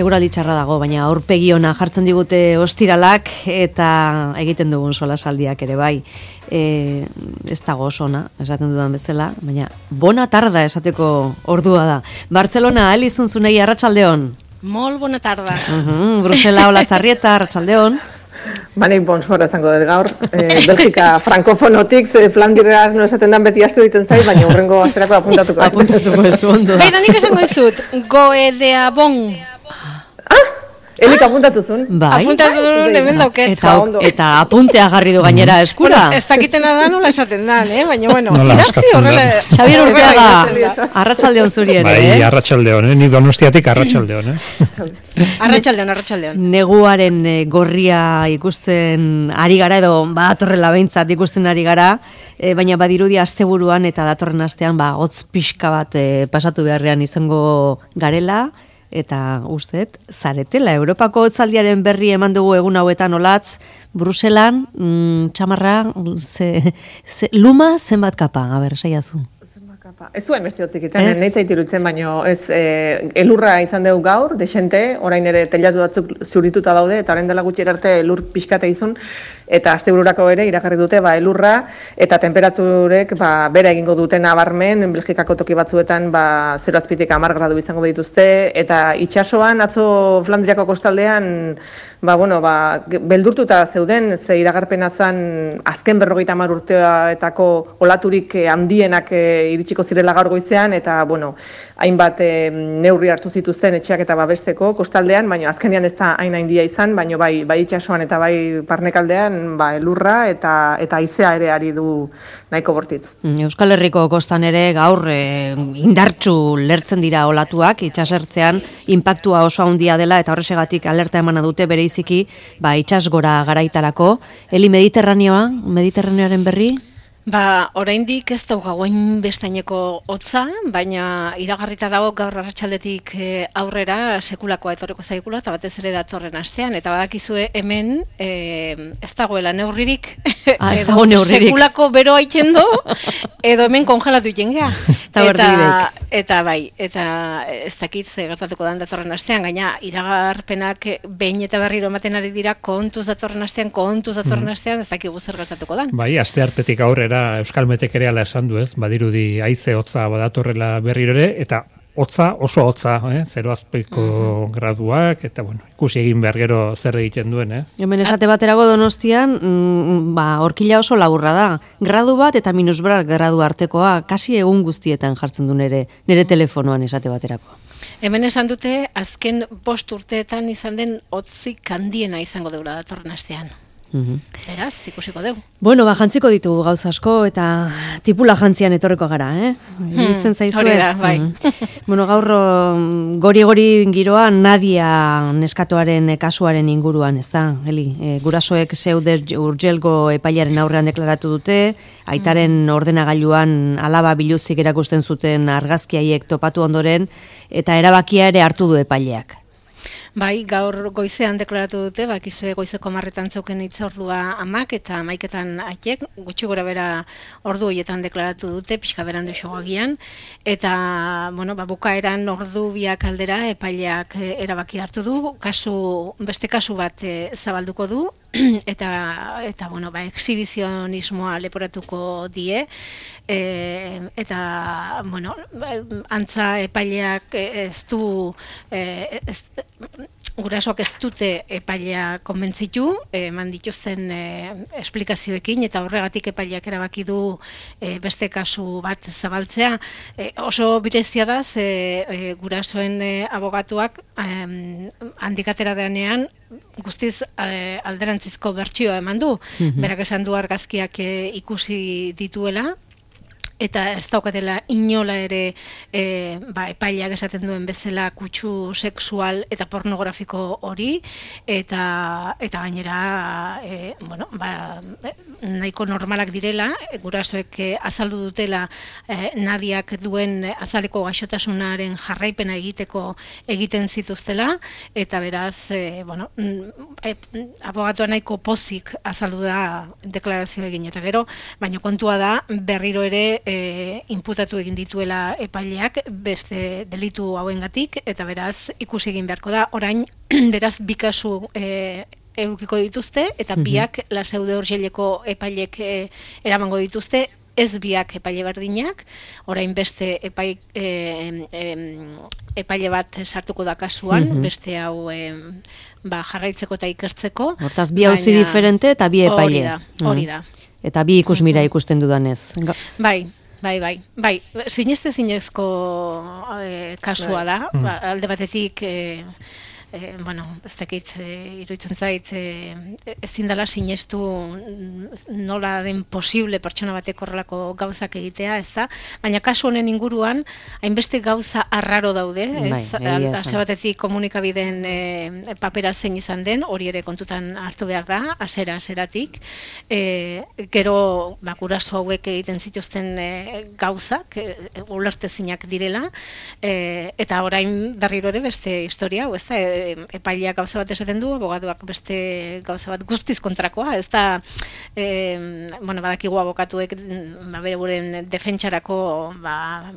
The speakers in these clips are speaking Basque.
Eguraldi txarra dago, baina aurpegi ona jartzen digute ostiralak eta egiten dugun solasaldiak ere bai. Ez dago oso ona, esaten dudan bezala, baina bona tarda esateko ordua da. Bartzelona, Elizun Zunei, arratsaldeon. Molt bona tarda. Brusela, Olatzarrieta, arratsaldeon. Banek bonsoara izango dut gaur. Belgika frankofonotik, Flandirera no esaten dan beti astu egiten zait, baina hurrengo asterako apuntatuko. Apuntatuko ez ondo. Baina nik esango dizut, goedeabon. Elik apuntatuzun? Bai. Apuntatuzun hemen dauket. Eta apuntea jarri du gainera eskura. Bueno, ez dakitena da nola esaten dan, baina bueno, Nola idatzi eskatzen horrela. dan. Xabier Urteaga, arratsaldeon zuri ere. Bai, arratsaldeon, ni Donostiatik arratsaldeon, Arratsaldeon. Neguaren gorria ikusten ari gara edo badatorrela behintzat ikusten ari gara, baina badirudi asteburuan eta datorren astean hotz pixka bat pasatu beharrean izango garela. Eta usteet, zaretela, Europako hotzaldiaren berri eman dugu egun hauetan olatz, Bruselan, txamarra, luma zenbat kapa, saiazu. Ez zuen beste hotzik iten, nahi zaitirutzen, baina ez elurra izan dugu gaur, desente, orain ere telatu batzuk zurituta daude, eta orain dela gutxi arte elur pixkate izun, eta astebururako ere iragarri dute elurra, eta temperaturek bera egingo duten nabarmen, Belgikako toki batzuetan 0 azpitik 10 gradu izango dituzte, eta itsasoan atzo Flandriako kostaldean beldurtuta zeuden, ze iragarpena zen azken 50 urteetako olaturik handienak iritsiko zirela gaur goizean, eta hainbat neurri hartu zituzten etxeak eta babesteko kostaldean, baina azkenean ez da hain handia izan, baina bai itsasoan eta bai parnekaldean elurra eta haizea ere ari du nahiko bortitz. Euskal Herriko kostan ere gaur indartsu lertzen dira olatuak, itsasertzean inpaktua oso handia dela eta horrexegatik alerta emana dute bereiziki itsasgora garaitarako. Eli Mediterraneoaren berri? Oraindik ez daugagoen bestaineko hotza, baina iragarrita dago gaur arratsaldetik aurrera sekulakoa etorriko zaigula, eta batez ere datorren astean, eta badakizue hemen ez dagoela neurririk, sekulako bero haiten do, edo hemen kongelatu jengea. Eta ez dakit ze gertatuko dan datorren astean, gaina iragarpenak behin eta berriro ematen ari dira kontuz datorren astean, ez dakigu zer gertatuko dan. Bai, asteartetik aurrera Euskal Metek ere ala esan du ez, badirudi haize hotza badatorrela berriro ere, eta hotza, oso hotza, 0 azpiko graduak, eta ikusi egin behar gero zer egiten duen. Hemen esate baterago Donostian, horkila oso laburra da. Gradu bat eta -1 gradu artekoa, kasi egun guztietan jartzen du nire telefonoan esate baterako. Hemen esan dute, azken 5 urteetan izan den hotzik handiena izango deula datorren astean. Beraz, ikusiko dugu. Jantziko ditugu gauza asko eta tipula jantzian etorriko gara, Iruditzen zaizue? Hori da, bai. Gaur gori giroa Nadia neskatoaren kasuaren inguruan, ez da, Eli? Gurasoek Seuder Urgelgo epailaren aurrean deklaratu dute, aitaren ordenagailuan alaba biluzik erakusten zuten argazkiaiek topatu ondoren, eta erabakia ere hartu du epaileak. Bai, gaur goizean deklaratu dute, bakizue goizeko 10 zeuken hitzordua amak eta 11 aitek, gutxi gora bera ordu horietan deklaratu dute, pixka berandu xogagian, eta, bukaeran ordu biak aldera epaileak erabaki hartu du, beste kasu bat zabalduko du, eta exhibizionismoa leporatuko die, eta, antza epaileak gurasoak ez dute epailea konbentzitu, eman dituzten esplikazioekin, eta horregatik epaileak erabaki du beste kasu bat zabaltzea. Oso berezia da, gurasoen abogatuak handik atera denean guztiz alderantzizko bertsioa eman du. Berak esan du argazkiak ikusi dituela, eta ez daukatela inola ere epaileak esaten duen bezala kutsu sexual eta pornografiko hori, eta gainera nahiko normalak direla, gurasoek azaldu dutela Nadiak duen azaleko gaixotasunaren jarraipena egiten zituztela, eta beraz, abogatua nahiko pozik azaldu da deklarazio egin, eta gero, baina kontua da berriro ere inputatu egin dituela epaileak beste delitu hauengatik, eta beraz ikusi egin beharko da, orain beraz bi kasu edukiko dituzte, eta biak Laseu de Urgeleko epailek eramango dituzte, ez biak epaile berdinak, orain beste epaile bat sartuko da kasuan, beste hau jarraitzeko eta ikertzeko. Hortaz, bi auzi diferente eta bi epaile. Hori da. Eta bi ikusmira ikusten dudanez. Bai, zinezko kasua da, alde batetik ez dakit, iruditzen zait, ezin dela sinestu nola den posible pertsona batek horrelako gauzak egitea, ez da? Baina kasu honen inguruan, hainbeste gauza arraro daude, ez? Hase batetik komunikabideen papera zein izan den, hori ere kontutan hartu behar da, hasieratik. Gero, guraso hauek egiten zituzten gauzak, ulertezinak direla, eta orain berriro ere beste historia, ez da? Epaileak gauza bat esaten du, abogaduak beste gauza bat guztiz kontrakoa, ez da, badakigu abokatuek bere buren defentsarako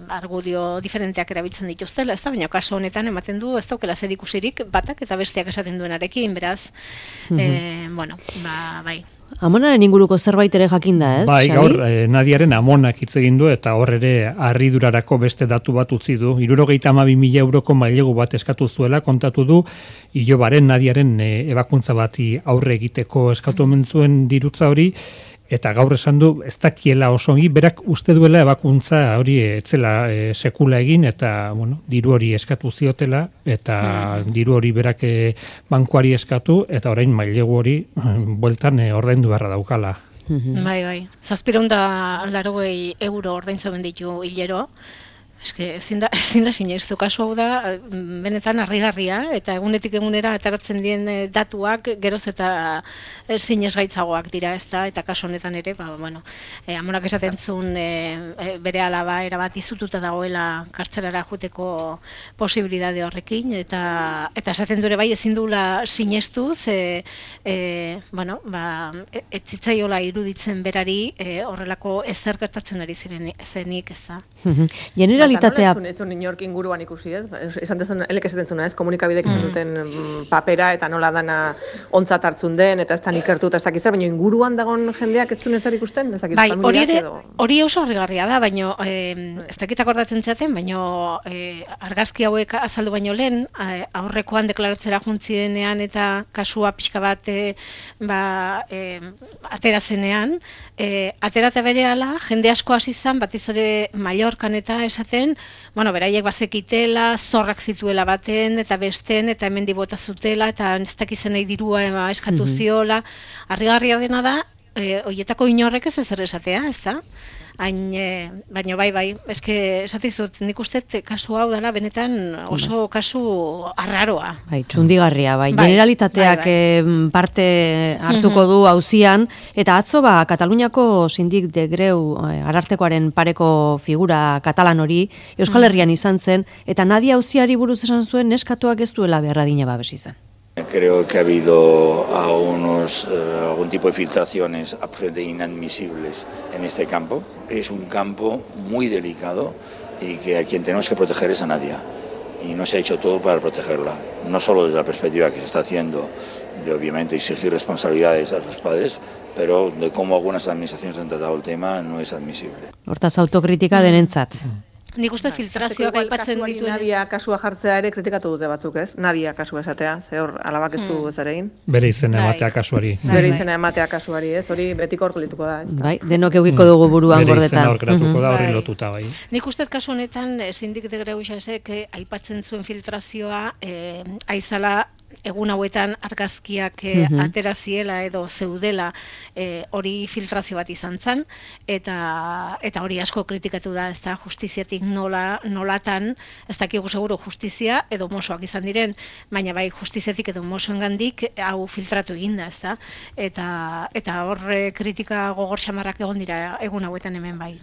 argudio diferenteak erabiltzen dituztela, ez da, baina kaso honetan ematen du, ez daukela zer ikusirik batak eta besteak esaten duenarekin, beraz, bai. Amonaren inguruko zerbait ere jakinda, ez? Bai, gaur, Nadiaren amonak hitz egin du eta hor ere harridurarako beste datu bat utzi du. 72.000 euroko mailegu bat eskatu zuela, kontatu du, Ilobaren Nadiaren ebakuntza bati aurre egiteko eskatu omen zuen dirutza hori, eta gaur esan du, ez dakiela oso ongi, berak uste duela ebakuntza hori etzela sekula egin, eta diru hori eskatu ziotela, eta diru hori berak bankuari eskatu, eta orain mailegu hori bueltan ordaindu beharra daukala. Bai, 780 euro ordaintzen ditu hilero. Ezin da sinestu, kasu hau da, benetan harrigarria, eta egunetik egunera ateratzen dien datuak geroz eta sinesgaitzagoak dira, ez da, eta kasu honetan ere, amonak esaten zuen bere alaba erabat izututa dagoela kartzelara joteko posibilidade horrekin, eta esaten dure bai ezin dula sinestu, ez zitzaiola iruditzen berari horrelako ezer gertatzen ari zenik, ez da. Generalitatea... Nola ez zuen inork inguruan ikusi, ez? Esan zuna, ez? Komunikabidek izan duten papera eta nola dana ontzat hartzun den, eta ez da ikertu eta ez dakizar, baina inguruan dagoen jendeak ez zuen ezer ikusten? Bai, hori oso harrigarria da, baina ez dakit akordatzen zaten, baina argazki hauek azaldu baino lehen, aurrekoan deklaratzera juntzirenean eta kasua pixka bat aterazenean, aterata berehala, jende asko hasi izan, batiz ere Mallorcan eta esaten, beraiek bazekitela, zorrak zituela baten, eta besten, eta hemen dibota zutela, eta ez dakizen nahi dirua eskatu ziola. Harrigarria dena da, horietako inorrek ez ezer esatea, ez da? Baina bai, eske esatizut, nik uste kasu hau dela benetan oso kasu arraroa. Bai, txundigarria, bai. Generalitateak parte hartuko du auzian, eta atzo Kataluniako sindik de greu arartekoaren pareko figura katalan hori Euskal Herrian izan zen, eta Nadia auziari buruz esan zuen neskatuak ez duela beharra dina babes izan. Creo que ha habido algún tipo de filtraciones absolutamente inadmisibles en este campo. Es un campo muy delicado y que a quien tenemos que proteger es a Nadia. Y no se ha hecho todo para protegerla. No solo desde la perspectiva que se está haciendo de obviamente exigir responsabilidades a sus padres, pero de cómo algunas administraciones han tratado el tema no es admisible. Hortaz autokritika denentzat. Nik uste filtrazioak aipatzen dituen. Nadia kasua jartzea ere kritikatu dute batzuk, ez? Nadia kasua esatea, ze hor alabak ez du ez ere egin. Bere izena ematea kasuari. Bere izena ematea kasuari, ez? Hori betiko hor gelituko da, ez? Bai, denok eukiko dugu buruan gordetan. Bere izena hor geratuko da, horri lotuta, bai. Nik uste kasu honetan, sindik de Greuxasek aipatzen zuen filtrazioa, aizala egun hauetan argazkiak ateraziela edo zeudela hori filtrazio bat izan zen, eta hori asko kritikatu da, ez da, justiziatik nolatan, ez dakigu seguro justizia edo mosoak izan diren, baina bai justiziatik edo mosoengandik hau filtratu eginda, ez da, eta horre kritika gogor xamarrak egon dira egun hauetan hemen bai.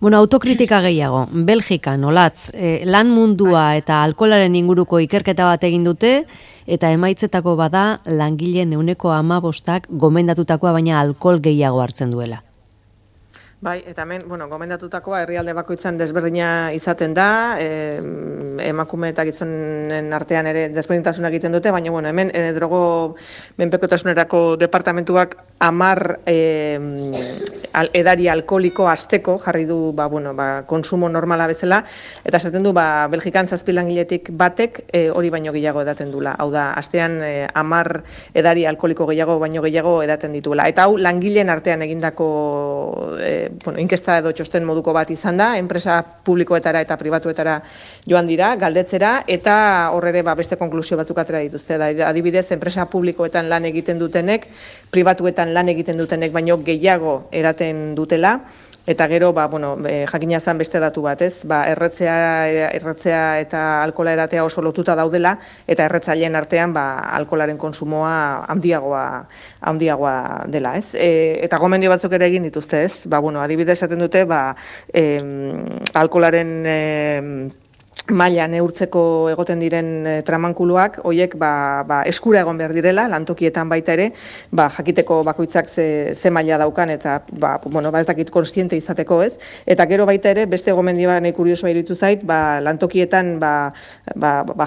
Autokritika gehiago, Belgikan, olatz, lan mundua eta alkoholaren inguruko ikerketa bat egin dute, eta emaitzetako bada langileen 15% gomendatutakoa baina alkohol gehiago hartzen duela. Bai, eta hemen, gomendatutakoa herrialde bakoitzan desberdina izaten da, emakume eta gizonen artean ere desberdintasunak egiten dute, baina hemen drogo menpekotasunerako departamentuak 10 edari alkoholiko asteko jarri du konsumo normala bezala, eta esaten du Belgikan 7 langiletik batek hori baino gehiago edaten dula. Hau da, astean 10 edari alkoholiko baino gehiago edaten dituela. Eta hau langileen artean egindako inkesta edo txosten moduko bat izan da, enpresa publikoetara eta pribatuetara joan dira, galdetzera, eta horre beste konklusio batzuk atera dituzte. Adibidez, enpresa publikoetan lan egiten dutenek, pribatuetan lan egiten dutenek baino gehiago eraten dutela, eta gero, jakina zen beste datu bat, ez? Erretzea eta alkohola edatea oso lotuta daudela, eta erretzaileen artean alkoholaren konsumoa handiagoa dela, ez? Eta gomendio batzuk ere egin dituzte, ez? Adibidez esaten dute, alkoholaren maila neurtzeko egoten diren tramankuluak, horiek eskura egon behar direla, lantokietan baita ere, jakiteko bakoitzak ze maila daukan, eta ez dakit konstiente izateko, ez? Eta gero baita ere, beste gomendioa nahi kuriosoa iruditu zait, lantokietan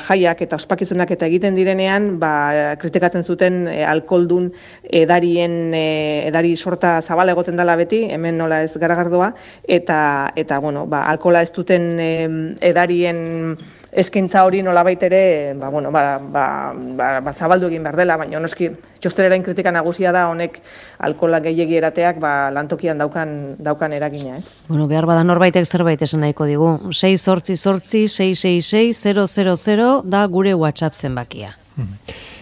jaiak eta ospakizunak eta egiten direnean, kritikatzen zuten alkoholdun edari sorta zabala egoten dela beti, hemen nola ez garagardoa, eta alkohola ez duten edarien eskaintza hori nolabait ere zabaldu egin behar dela, baina noski txostererain kritika nagusia da honek alkohola gehiegi erateak lantokian daukan eragina, ez? Behar bada norbaitek zerbait esan nahiko digu. 688-666-000 da gure WhatsApp zenbakia.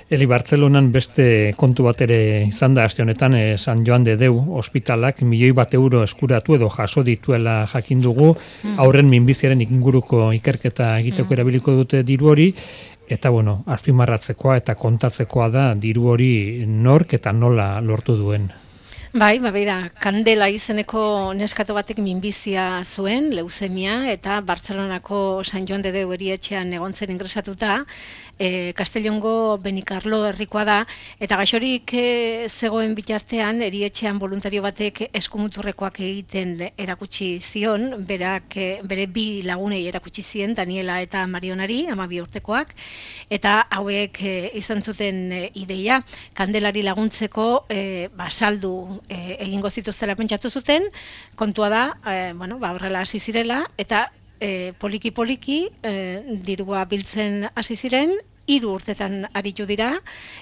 Eli Bartzelonan beste kontu bat ere izan da aste honetan, San Joan de Deu ospitalak €1.000.000 eskuratu edo jaso dituela jakin dugu, aurren minbiziaren inguruko ikerketa egiteko erabiliko dute diru hori, eta azpimarratzekoa eta kontatzekoa da diru hori nork eta nola lortu duen. Bai, Kandela izeneko neskato batek minbizia zuen, leuzemia, eta Bartzelonako San Joan de Deu erietxean egontzen ingresatuta, Castellongo Benicarlo herrikoa da, eta gaixorik zegoen bitartean erietxean voluntario batek eskumuturrekoak egiten erakutsi zion, bere 2 lagunei erakutsi zien, Daniela eta Marionari, 12 urtekoak, eta hauek izan zuten ideia, Kandelari laguntzeko saldu egingo zituztela pentsatu zuten, kontua da, horrela hasi zirela, eta poliki-poliki dirua biltzen hasi ziren, 3 urtetan aritu dira,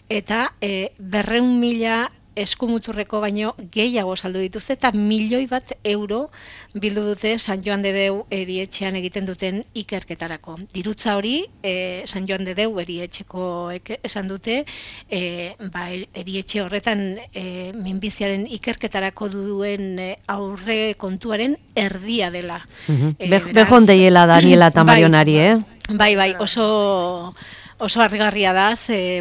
eta 200.000 eskumuturreko baino gehiago saldu dituzte, eta €1.000.000 bildu dute San Joan de Deu erietxean egiten duten ikerketarako. Dirutza hori, San Joan de Deu erietxekoek esan dute, erietxe horretan minbiziaren ikerketarako duen aurre kontuaren erdia dela. Bejon deiela Daniela eta Marionari, Bai, oso harrigarria da, 12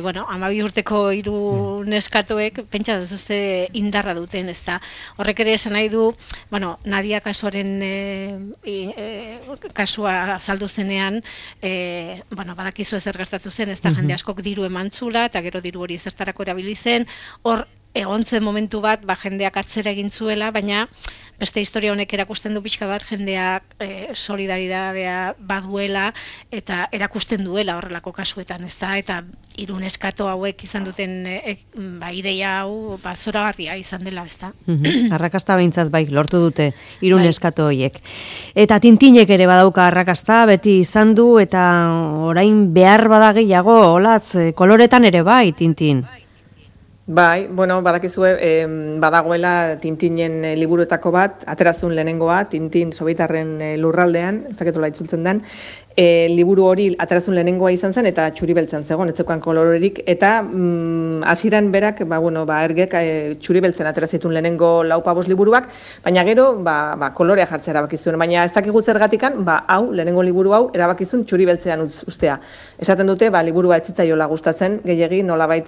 urteko 3 neskatoek pentsa duzue indarra duten, ez da. Horrek ere esan nahi du, Nadia kasuaren kasua azaldu zenean, badakizu ezer gertatu zen, ez da, jende askok diru emantzula, eta gero diru hori zertarako erabili zen, hor egon zen momentu bat, jendeak atzera egin zuela, baina beste historia honek erakusten du pixka bat, jendeak solidaridadea baduela, eta erakusten duela horrelako kasuetan, ez da, eta 3 neskato hauek izan duten ideia hau zoragarria izan dela, ez da. Arrakasta behintzat lortu dute 3 neskato horiek. Eta Tintinek ere badauka arrakasta, beti izan du, eta orain behar bada gehiago, olatz, koloretan ere Tintin. Bai, badakizue, badagoela Tintinen liburuetako bat, aterazun lehenengoa, Tintin Sobietarren lurraldean, ez daketola itzultzen den, liburu hori aterazun lehenengoa izan zen, eta txuri beltzen zegoen, ez zeukan kolorerik, eta hasieran berak, ergek txuri beltzen aterazitun lehenengo 4-5 liburuak, baina gero, kolorea jartzea erabakizuen, baina ez dakigu zergatikan, lehenengo liburu hau erabakizun txuri beltzean ustea. Esaten dute, liburua etzitzaiola gustatzen, gehiegi nolabait,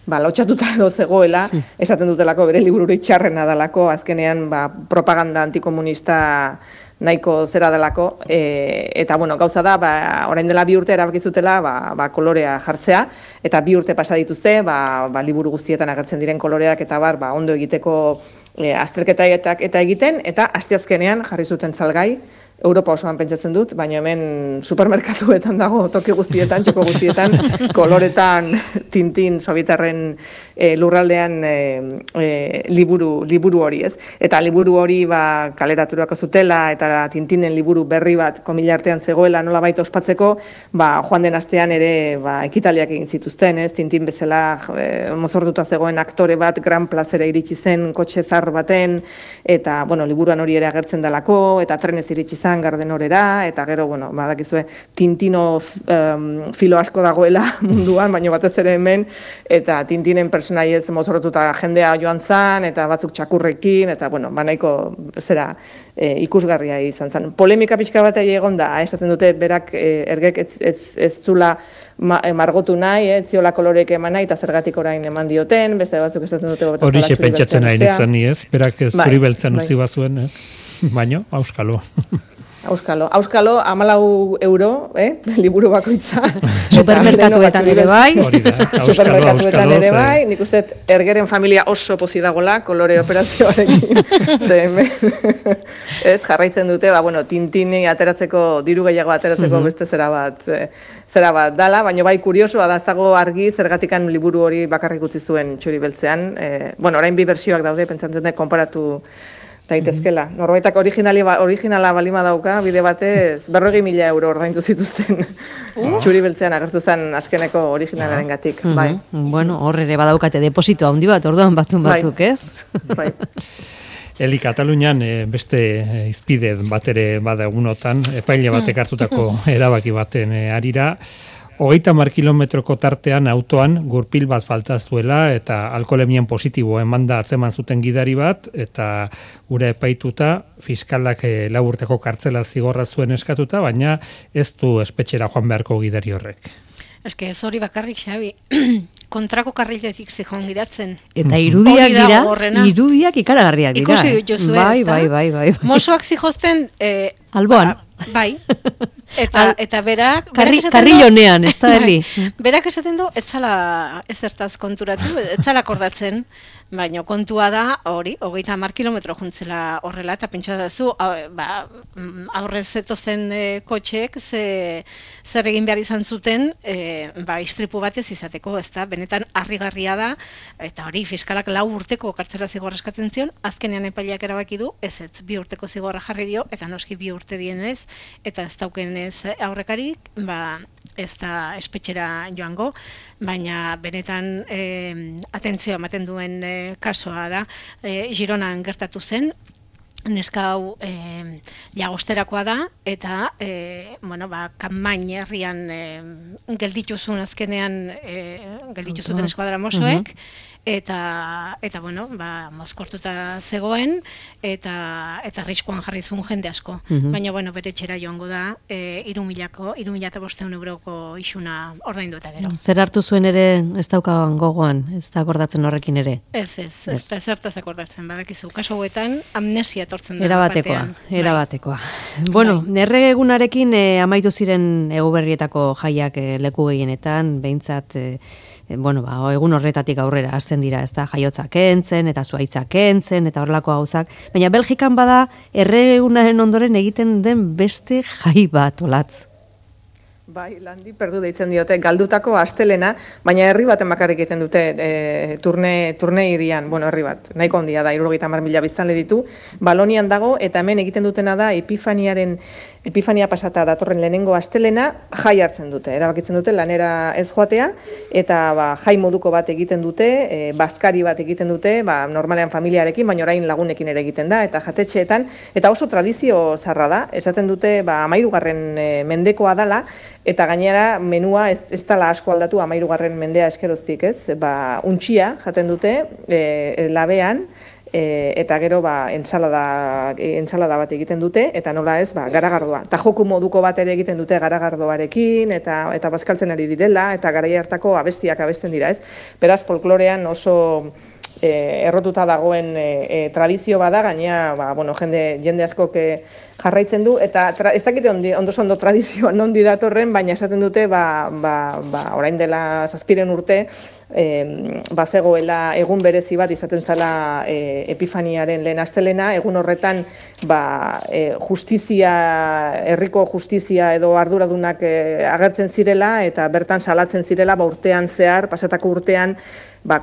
lotxatuta edo zegoela, esaten dutelako bere libururi txarrena dalako, azkenean propaganda antikomunista nahiko zera delako, eta gauza da, orain dela 2 urte erabakizutela kolorea jartzea, eta 2 urte pasa dituzte, liburu guztietan agertzen diren koloreak eta ondo egiteko azterketak eta egiten, eta asteazkenean jarri zuten salgai, Europa osoan pentsatzen dut, baina hemen supermerkatuetan dago, toki guztietan, txoko guztietan, koloretan, Tintin, Sobitarren lurraldean liburu hori, ez? Eta liburu hori kaleraturako zutela, eta Tintinen liburu berri bat komila artean zegoela nolabait ospatzeko, joan den astean ere ekitaliak egin zituzten, ez? Tintin bezala mozortuta zegoen aktore bat, Gran Plazera iritsi zen, kotxe zar baten, eta, liburuan hori ere agertzen dalako, eta trenez iritsi zen Gardenorera, eta gero, badakizue, Tintino filo asko dagoela munduan, baina batez ere hemen, eta Tintinen personaiez mozorrotuta jendea joan zan, eta batzuk txakurrekin, eta, nahiko zera ikusgarria izan zen. Polemika pixka bat egon da, esaten dute, berak ergek ez zula margotu nahi, ez ziola koloreek eman nahi, eta zergatik orain eman dioten, beste batzuk esaten dute... Horixe pentsatzen nahi nintzen ni, ez? Berak zuri beltzen utzi bazuen, ez? Baina, auskalo. Auskalo, 14 euro, liburu bakoitza. Supermerkatuetan ere bai. Supermerkatuetan ere bai. Nik uste, ergeren familia oso pozi dagola, kolore operazioarekin. Ez, jarraitzen dute, Tintini ateratzeko, diru gehiago ateratzeko beste zera bat dala, baina bai kuriosoa da ez dago argi zergatikan liburu hori bakarrik utzi zuen Txuri Beltzean. Orain bi bertsioak daude, pentsatzen dut, konparatu daitezkela. Norbaitak originala balima dauka, bide batez 40.000 euro ordaindu zituzten Txuri Beltzean agertu zen azkeneko originalaren gatik. Bai. Hor ere badaukate deposito handi bat, orduan batzuk, ez? Bai. Eli, Katalunian beste izpide bat ere bada egunotan, epaile batek hartutako erabaki baten arira, 30 kilometroko tartean autoan gurpil bat falta zuela eta alkoholemian positibo emanda atzeman zuten gidari bat eta gure epaituta fiskalak 4 urteko kartzela zigorra zuen eskatuta, baina ez du espetxera joan beharko gidari horrek. Eske ez hori bakarrik, Xabi, kontrako karriletik zijoan gidatzen. Eta irudiak ikaragarriak dira. Ikusi jozu Bai. Mosoak zijozten... Alboan. Bai. Eta berak... Karrilonean, ez da heli. Berak esaten du, etzala ezertaz konturatu, etzala akordatzen, baina kontua da, hori, 30 kilometro juntzela horrela, eta pentsatzu, aurrez zetozen kotxeek, zer egin behar izan zuten, istripu batez izateko, ez da, benetan harrigarria da, eta hori, fiskalak 4 urteko kartzela zigorra eskatzen zion, azkenean epaileak erabaki du, ez 2 urteko zigorra jarri dio, eta noski 2 urte dienez, eta ez daukenez aurrekarik, ez da espetxera joango, baina benetan atentzioa ematen duen kasoa da. Gironan gertatu zen, neska hau jagosterakoa da, eta kanmain herrian geldituzun azkenean geldituzuten eskuadra mosoek, eta mozkortuta zegoen, eta riskuan jarri zuen jende asko. Baina, bere etxera joango da, 3.500 euroko isuna ordaindu eta gero. Zer hartu zuen ere ez daukaban gogoan, ez da akordatzen horrekin ere? Ez da zertaz akordatzen, badakizu. Kaso hauetan amnesia etortzen da batean. Erabatekoa. Errege egunarekin amaitu ziren Eguberrietako jaiak leku gehienetan, behintzat... egun horretatik aurrera hasten dira, ez da, jaiotza kentzen, eta zuaitza kentzen, eta horrelako gauzak. Baina Belgikan bada, erregunaren ondoren egiten den beste jai bat, Olatz. Bai, landi perdu deitzen diote, galdutako astelena, baina herri baten bakarrik egiten dute turne hirian, herri bat, nahiko handia da, 70.000 biztanle ditu, Balonian dago, eta hemen egiten dutena da, Epifania pasata datorren lehenengo astelena jai hartzen dute, erabakitzen dute lanera ez joatea, eta jai moduko bat egiten dute, bazkari bat egiten dute, normalean familiarekin, baina orain lagunekin ere egiten da, eta jatetxeetan, eta oso tradizio zarra da, esaten dute 13. mendekoa dala, eta gainera menua ez dala asko aldatu 13. mendea eskeroztik, ez? Untxia jaten dute labean, eta gero entsalada bat egiten dute, eta nola ez, garagardoa. Eta joku moduko bat ere egiten dute garagardoarekin, eta bazkaltzen ari direla, eta garaia hartako abestiak abesten dira, ez? Beraz, folklorean oso errotuta dagoen tradizio bada, gainea, jende askok jarraitzen du, eta ez dakite ondo tradizioa nondi datorren, baina esaten dute, orain dela 7 urte, bazegoela egun berezi bat izaten zala Epifaniaren lehen astelena, egun horretan herriko justizia edo arduradunak agertzen zirela, eta bertan salatzen zirela, urtean zehar, pasatako urtean,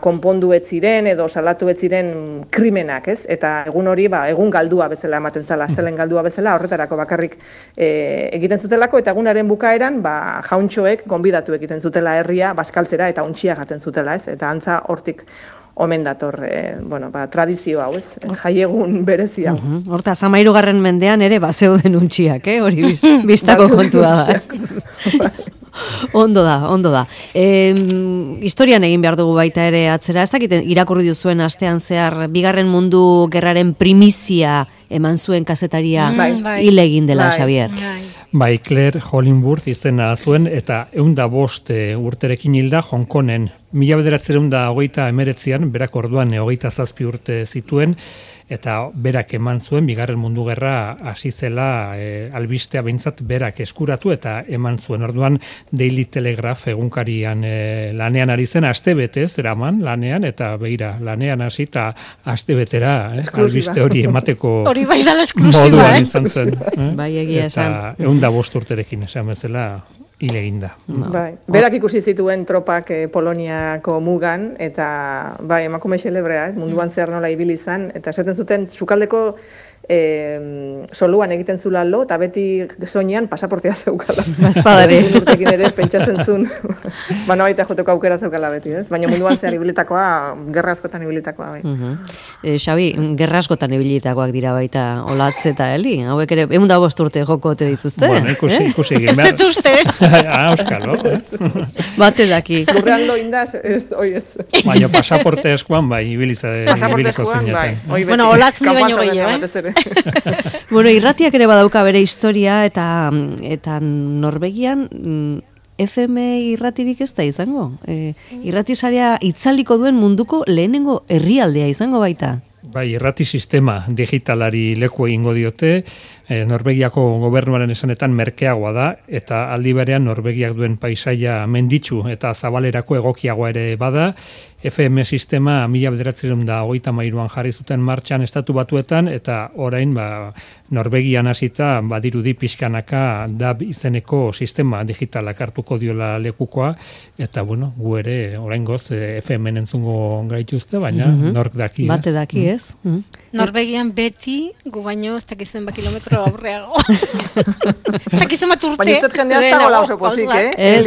konpondu ez ziren edo salatu ez ziren krimenak, ez? Eta egun hori, egun galdua bezala ematen zala, astelen galdua bezala, horretarako bakarrik egiten zutelako, eta egunaren bukaeran, jauntxoek gonbidatu egiten zutela herria, bazkaltzera eta untxia jaten zutela, ez? Eta antza hortik omen dator, tradizio hau, ez? Jaiegun berezi hau. Horta, 13. mendean ere bazeuden untxiak, hori biztako kontua da. Ondo da. Historian egin behar dugu baita ere atzera, ez dakit irakurri duzuen astean zehar, Bigarren Mundu Gerraren primizia eman zuen kazetaria hil egin dela, Xavier. Bai, Claire Hollingworth izena zuen, eta 105 urterekin hilda Hongkonen. 1929an, berak orduan 27 urte zituen, eta berak eman zuen, Bigarren Mundu Gerra hasi zela albistea behintzat berak eskuratu eta eman zuen. Orduan Daily Telegraph egunkarian lanean ari zen, astebete zeraman lanean, eta begira, lanean hasi eta astebetera albiste hori emateko hori bai dala esklusiba, moduan izan zen. Bai, egia esan. Eta 105 urterekin esan bezala hil eginda. Berak ikusi zituen tropak Poloniako mugan, eta emakume xelebrea, munduan zehar nola ibili izan, eta esaten zuten sukaldeko soluan egiten zula lo, eta beti soinean pasaportea zeukala. Bazpadare. Urtekin ere pentsatzen zuen, baita joteko aukera zeukala beti, ez? Baina munduan zehar ibilitakoa, gerra askotan ibilitakoa. Xabi, gerra askotan ibilitakoak dira baita Olatz eta Eli, hauek ere 105 urte joko ote dituzte. Bueno, ikusi egin. Ez dituzte. Euskalo. Bate daki. Lurrean lo indaz, oi ez. Baina pasaporte eskuan, ibiliko zineten. Bueno, Olatz ni baino gehiago, Bueno, irratiak ere badauka bere historia, eta Norvegian FM irratirik ez da izango. Irratisaria itzaliko duen munduko lehenengo herrialdea izango baita. Bai, irrati sistema digitalari leku egingo diote, Norvegiako gobernuaren esanetan merkeagoa da, eta aldi berean Norvegiak duen paisaia menditsu eta zabalerako egokiagoa ere bada. FM sistema 1933an jarri zuten martxan Estatu Batuetan, eta orain Norvegian hasita badirudi pixkanaka DAB izeneko sistema digitalak hartuko diola lekukoa, eta gu ere oraingoz FM-en entzungo gaituzte, baina nork daki. Bate daki, ez? Norvegian beti gu baino ez dakizen kilometro aurreago. Ez dakizen bat urte. Baina ez jendea ez dago oso pozik,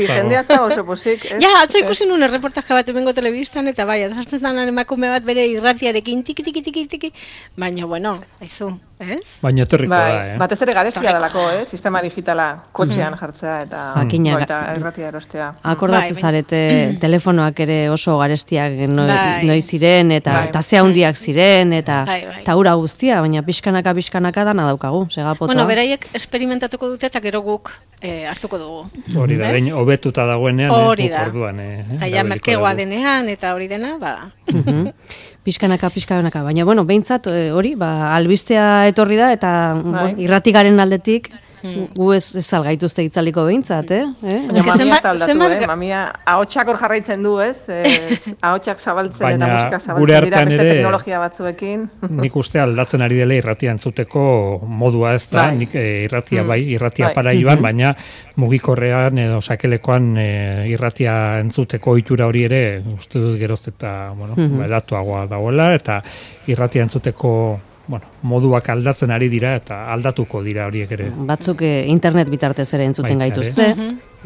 jendea ez dago oso pozik. Ja, atzo ikusi nuen erreportaje bat bengo telebistan, eta azartzen zanen emakume bat bere irratiarekin tiki, baina, aizu, ez? Baina etorriko da, batez ere garestia dalako, sistema digitala kotxean jartzea eta irratia erostea. Akordatzen zarete telefonoak ere oso garestiak noiz ziren, eta ze handiak ziren, eta ura guztia, baina pixkanaka dana daukagu, segapotoa. Bueno, beraiek esperimentatuko dute eta gero guk hartuko dugu. Hori da, gain hobetuta dagoenean, orduan. Eta ja merkegoa denean, eta hori dena, Pixkanaka, baina, behintzat, hori, albistea etorri da, eta irratigaren aldetik, gu ez salgaituzte itzaliko behintzat, Baina mamia ez aldatu, mamia ahotsak hor jarraitzen du, ez? Ahotsak zabaltzen eta musika zabaltzen dira beste teknologia batzuekin. Nik uste aldatzen ari dela irratia entzuteko modua ez da, nik irratia para iban, baina mugikorrean edo sakelekoan irratia entzuteko ohitura hori ere, uste dut geroz eta, edatuagoa dagoela, eta irratia entzuteko moduak aldatzen ari dira eta aldatuko dira horiek ere. Batzuk internet bitartez ere entzuten gaituzte,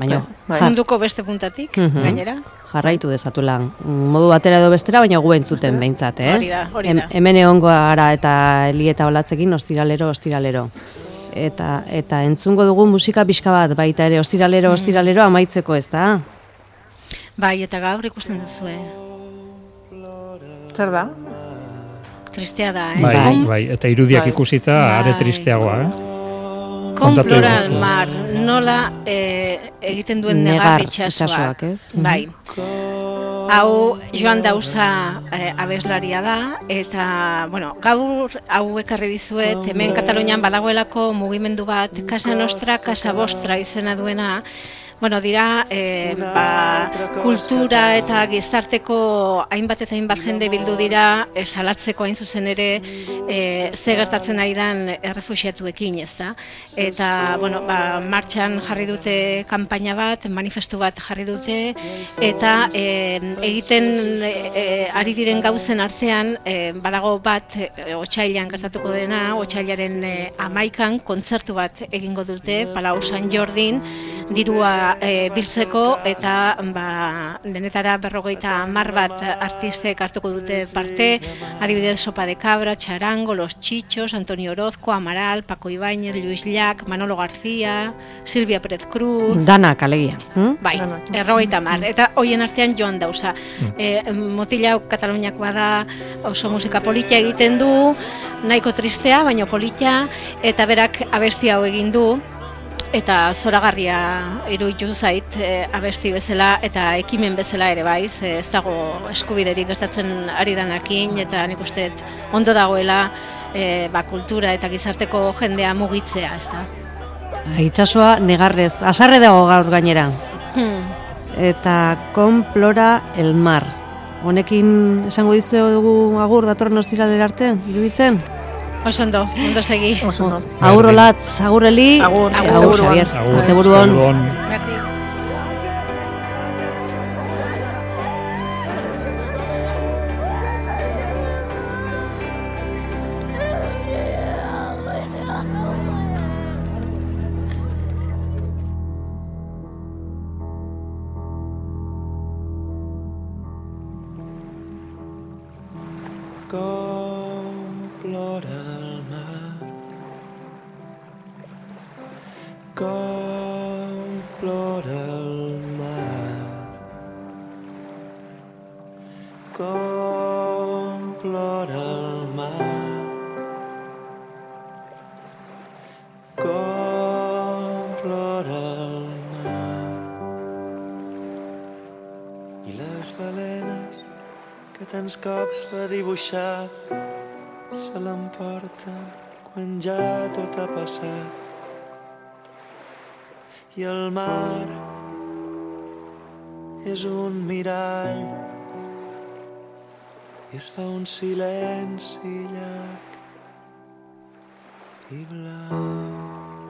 baina munduko beste puntatik, gainera. Jarraitu dezatula modu batera edo bestera, baina gu entzuten behintzat, Hori da. Hemen egongo gara eta Eli eta Olatzekin ostiralero. Eta entzungo dugu musika pixka bat, baita ere ostiralero amaitzeko, ez da? Bai, eta gaur ikusten duzue. Zer da? Tristea da, Bai, eta irudiak ikusita are tristeagoa, Con Floral Mar, nola egiten duen negar itxasoak, ez? Bai. Hau Joan Dausa abeslaria da, eta, bueno, gaur hau ekarri dizuet, hemen Katalunian badagoelako mugimendu bat, Casa Nostra, Casa Vostra izena duena, bueno, dira, kultura eta gizarteko hainbat eta hainbat jende bildu dira salatzeko hain zuzen ere ze gertatzen ari dan errefuxiatuekin, ez da? Eta, bueno, martxan jarri dute kanpaina bat, manifestu bat jarri dute, eta egiten ari diren gauzen artean, badago bat otsailean gertatuko dena, otsailaren 11an kontzertu bat egingo dute, Palau San Jordin, dirua biltzeko, eta denetara 50 bat artistek hartuko dute parte, adibidez Sopa de Cabra, Charango, Los Chichos, Antonio Orozco, Amaral, Paco Ibáñez, Luis Llach, Manolo García, Silvia Pérez Cruz. Danak alegia. Bai, 50, eta hoien artean Joan Dausa. Motila Kataluniakoa da, oso musika politia egiten du, nahiko tristea, baina politia, eta berak abesti hau egin du, eta zoragarria iruditu zait abesti bezala eta ekimen bezala ere bai, ez dago eskubiderik gertatzen ari danakin, eta nik uste ondo dagoela kultura eta gizarteko jendea mugitzea, ez da. Itsasoa negarrez, asarre dago gaur gainera. Eta Complora el mar. Honekin esango dizuegu agur datorren ostiralera arte, iruditzen? Oso ondo segi. Agur Olatz, agur Eli, agur Xavier. Asteburuan. Tants cops va dibuixar se l'emporta quan ja tot ha passat, i el mar és un mirall i es fa un silenci llarg i blau.